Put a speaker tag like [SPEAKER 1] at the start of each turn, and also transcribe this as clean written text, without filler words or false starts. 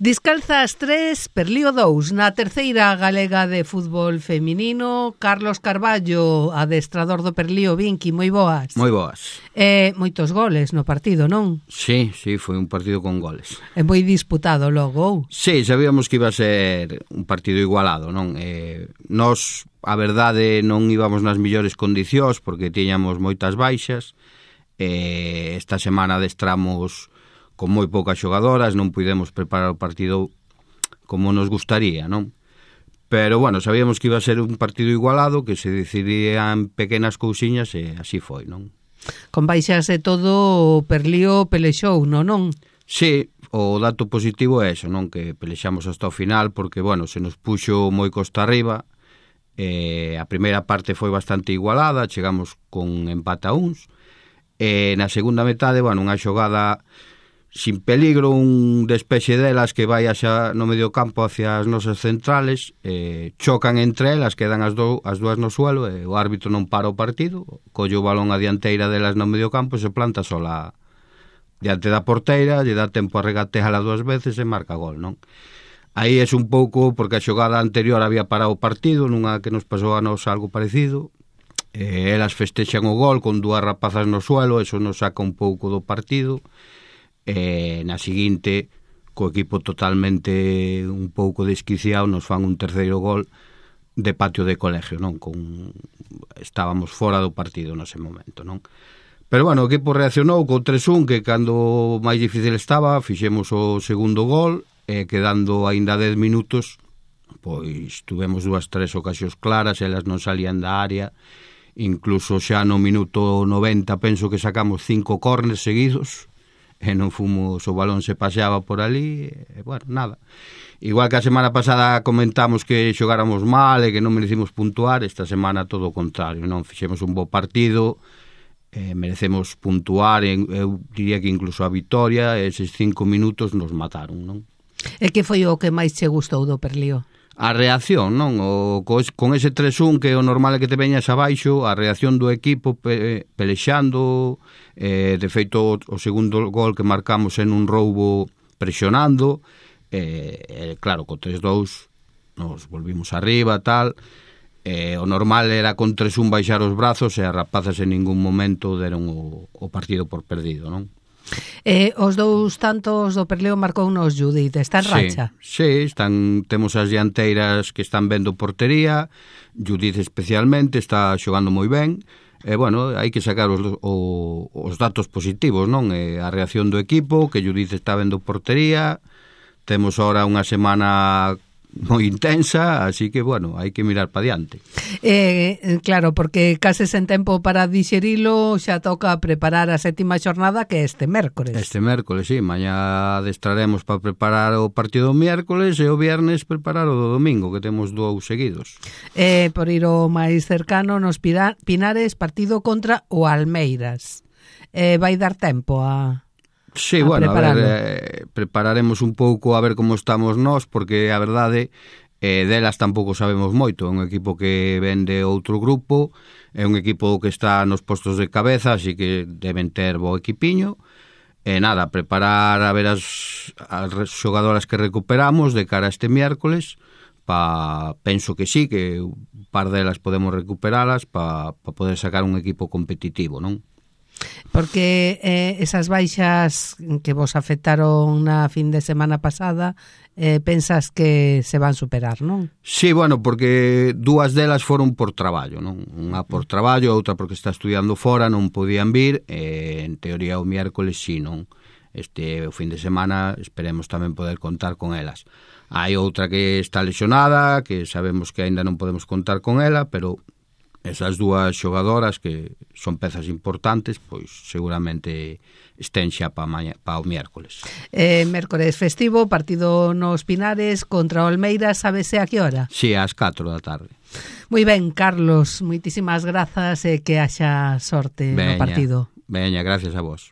[SPEAKER 1] Descalzas 3, Perlío 2. Na terceira galega de fútbol feminino, Carlos Carballo, adestrador do Perlío. Vinqui, moi boas.
[SPEAKER 2] Moi boas.
[SPEAKER 1] Moitos goles no partido, non?
[SPEAKER 2] Sí, foi un partido con goles.
[SPEAKER 1] É moi disputado logo.
[SPEAKER 2] Sí, sabíamos que iba a ser un partido igualado, non? Nós, a verdade, non íbamos nas millores condicións porque tiñamos moitas baixas. Esta semana adestramos con moi poucas xogadoras, non pudemos preparar o partido como nos gustaría, non? Pero, bueno, sabíamos que iba a ser un partido igualado, que se decidirían pequenas cousiñas e así foi, non?
[SPEAKER 1] Con baixas e todo, o Perlío pelexou, non?
[SPEAKER 2] Sí, o dato positivo é eso, non? Que pelexamos hasta o final, porque, bueno, se nos puxo moi costa arriba. A primeira parte foi bastante igualada, chegamos con empate a uns. Na segunda metade, bueno, unha xogada sin peligro, un despexe delas que vai xa no medio campo hacia as nosas centrales, chocan entre elas, quedan as dúas no suelo e o árbitro non para o partido, colle o balón a dianteira delas no medio campo e se planta sola diante da porteira, lle dá tempo a regateala 2 veces e marca gol, non? Aí é un pouco porque a xogada anterior había parado o partido, nunha que nos pasou a nos algo parecido. Elas festexan o gol con 2 rapazas no suelo, eso nos saca un pouco do partido. Na seguinte, co equipo totalmente un pouco desquiciado, nos fan un terceiro gol de patio de colegio, non? Estábamos fora do partido nese momento, non? Pero, bueno, o equipo reaccionou co 3-1, que cando máis difícil estaba, fixemos o segundo gol, quedando aínda 10 minutos, pois tuvemos 2-3 ocasións claras, elas non salían da área, incluso xa no minuto 90 penso que sacamos 5 córners seguidos, e non fomos, o balón se paseaba por ali, e, bueno, nada. Igual que a semana pasada comentamos que xogáramos mal e que non merecimos puntuar, esta semana todo o contrario, non? Fixemos un bo partido, merecemos puntuar, eu diría que incluso a vitoria, eses 5 minutos nos mataron, non?
[SPEAKER 1] E que foi o que máis che gustou do Perlío?
[SPEAKER 2] A reacción, non? Con ese 3-1 que o normal é que te veñas abaixo, a reacción do equipo pelexando, de feito o segundo gol que marcamos en un roubo presionando, claro, co 3-2 nos volvimos arriba, tal, o normal era con 3-1 baixar os brazos e as rapazas en ningún momento deron o partido por perdido, non?
[SPEAKER 1] Os 2 tantos do Perlío marcou nos Judith, está en racha?
[SPEAKER 2] Sí, temos as dianteiras que están vendo portería, Judith especialmente está xogando moi ben, bueno, hai que sacar os datos positivos, non? A reacción do equipo, que Judith está vendo portería, temos ahora unha semana moi intensa, así que, bueno, hai que mirar para diante.
[SPEAKER 1] Claro, porque case sen tempo para dixerilo, xa toca preparar a 7ª xornada, que é este mércores.
[SPEAKER 2] Este mércores, sí, mañá adestraremos para preparar o partido do miércoles e o viernes preparar o do domingo, que temos 2 seguidos.
[SPEAKER 1] Por ir o máis cercano, nos Pinares, partido contra o Almeiras. Vai dar tempo a...
[SPEAKER 2] Sí, bueno, a ver, prepararemos un pouco a ver como estamos nós, porque a verdade, delas tampouco sabemos moito. É un equipo que ven de outro grupo, é un equipo que está nos postos de cabeza, así que deben ter bo equipiño. Nada, preparar a ver as xogadoras que recuperamos de cara a este miércoles, penso que sí, que un par delas podemos recuperalas para poder sacar un equipo competitivo, non?
[SPEAKER 1] Porque esas baixas que vos afectaron na fin de semana pasada, pensas que se van superar, non?
[SPEAKER 2] Sí, bueno, porque 2 delas foron por traballo, non? Unha por traballo, outra porque está estudiando fora, non podían vir, en teoría o miércoles sí, non? O fin de semana esperemos tamén poder contar con elas. Hai outra que está lesionada, que sabemos que aínda non podemos contar con ela, pero esas 2 xogadoras que son pezas importantes, pois seguramente estén xa para o miércoles.
[SPEAKER 1] Mércores festivo, partido nos Pinares contra o Almeiras, sabese a que hora?
[SPEAKER 2] Sí, ás 4 da tarde.
[SPEAKER 1] Moi ben, Carlos, moitísimas grazas e que haxa sorte no partido.
[SPEAKER 2] Veña, gracias a vos.